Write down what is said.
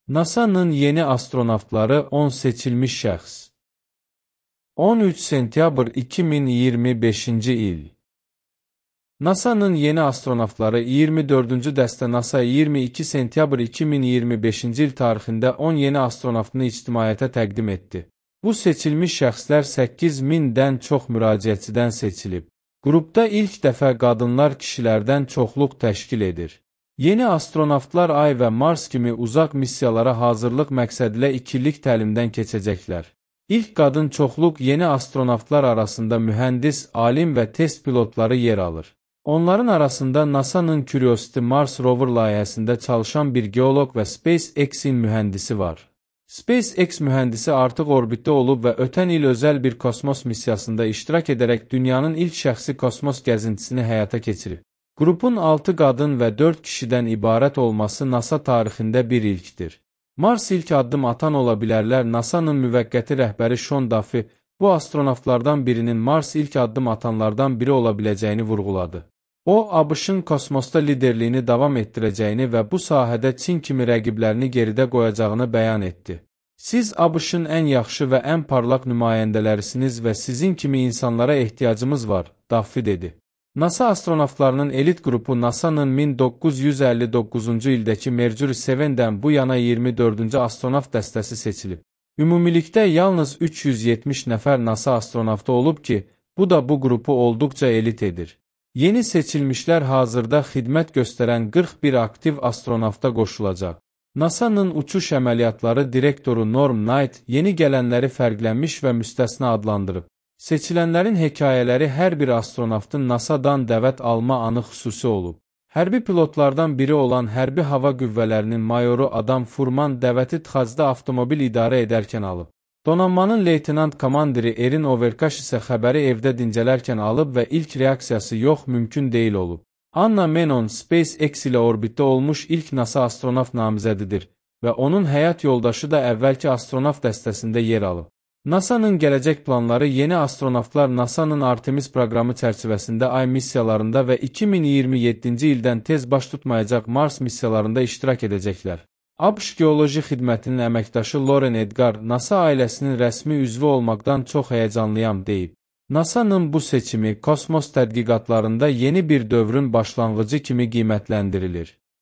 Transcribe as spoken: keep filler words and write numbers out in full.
NASA'nın yeni astronavtları on seçilmiş şəxs. on üç sentyabr iki min iyirmi beşinci il. NASA'nın yeni astronavtları iyirmi dördüncü dəstə NASA iyirmi iki sentyabr iki min iyirmi beşinci il tarixində on yeni astronavtını ictimaiyyətə təqdim etdi. Bu seçilmiş şəxslər səkkiz mindən çox müraciətçidən seçilib. Qrupda ilk dəfə qadınlar kişilərdən çoxluq təşkil edir. Yeni astronavtlar Ay və Mars kimi uzaq missiyalara hazırlıq məqsədilə iki illik təlimdən keçəcəklər. İlk qadın çoxluq yeni astronavtlar arasında mühəndis, alim və test pilotları yer alır. Onların arasında NASA'nın Curiosity Mars rover layihəsində çalışan bir geoloq və SpaceX-in mühəndisi var. SpaceX mühəndisi artıq orbitdə olub və ötən il özəl bir kosmos missiyasında iştirak edərək dünyanın ilk şəxsi kosmos gəzintisini həyata keçirib. Qrupun altı qadın və dörd kişidən ibarət olması NASA tarixində bir ilkdir. Mars ilk addım atan ola bilərlər. NASA'nın müvəqqəti rəhbəri Sean Duffy, bu astronavtlardan birinin Mars ilk addım atanlardan biri ola biləcəyini vurğuladı. O, ABŞ-ın kosmosda liderliyini davam etdirəcəyini və bu sahədə Çin kimi rəqiblərini geridə qoyacağını bəyan etdi. Siz ABŞ-ın ən yaxşı və ən parlaq nümayəndələrisiniz və sizin kimi insanlara ehtiyacımız var, Duffy dedi. NASA astronavtlarının elit qrupu NASA'nın min doqquz yüz əlli doqquzuncu ildəki Mercury sevendən bu yana iyirmi dördüncü astronavt dəstəsi seçilib. Ümumilikdə yalnız üç yüz yetmiş nəfər NASA astronavtı olub ki, bu da bu qrupu olduqca elit edir. Yeni seçilmişlər hazırda xidmət göstərən qırx bir aktiv astronavta qoşulacaq. NASA'nın uçuş əməliyyatları direktoru Norm Knight yeni gələnləri fərqlənmiş və müstəsna adlandırıb. Seçilənlərin hekayələri hər bir astronavtın NASA'dan dəvət alma anı xüsusi olub. Hərbi pilotlardan biri olan Hərbi Hava Qüvvələrinin mayoru Adam Furman dəvəti Txacda avtomobil idarə edərkən alıb. Donanmanın leytenant komandiri Erin Overkaş isə xəbəri evdə dincələrkən alıb və ilk reaksiyası yox, mümkün deyil olub. Anna Menon SpaceX ilə orbitdə olmuş ilk NASA astronavt namizədidir və onun həyat yoldaşı da əvvəlki astronavt dəstəsində yer alıb. NASA'nın gələcək planları yeni astronavtlar NASA'nın Artemis proqramı çərçivəsində Ay missiyalarında və iki min iyirmi yeddinci ildən tez baş tutmayacaq Mars missiyalarında iştirak edəcəklər. ABŞ Geoloji Xidmətinin əməkdaşı Loren Edgar, NASA ailəsinin rəsmi üzvü olmaqdan çox həyəcanlıyam deyib. NASA'nın bu seçimi kosmos tədqiqatlarında yeni bir dövrün başlanğıcı kimi qiymətləndirilir.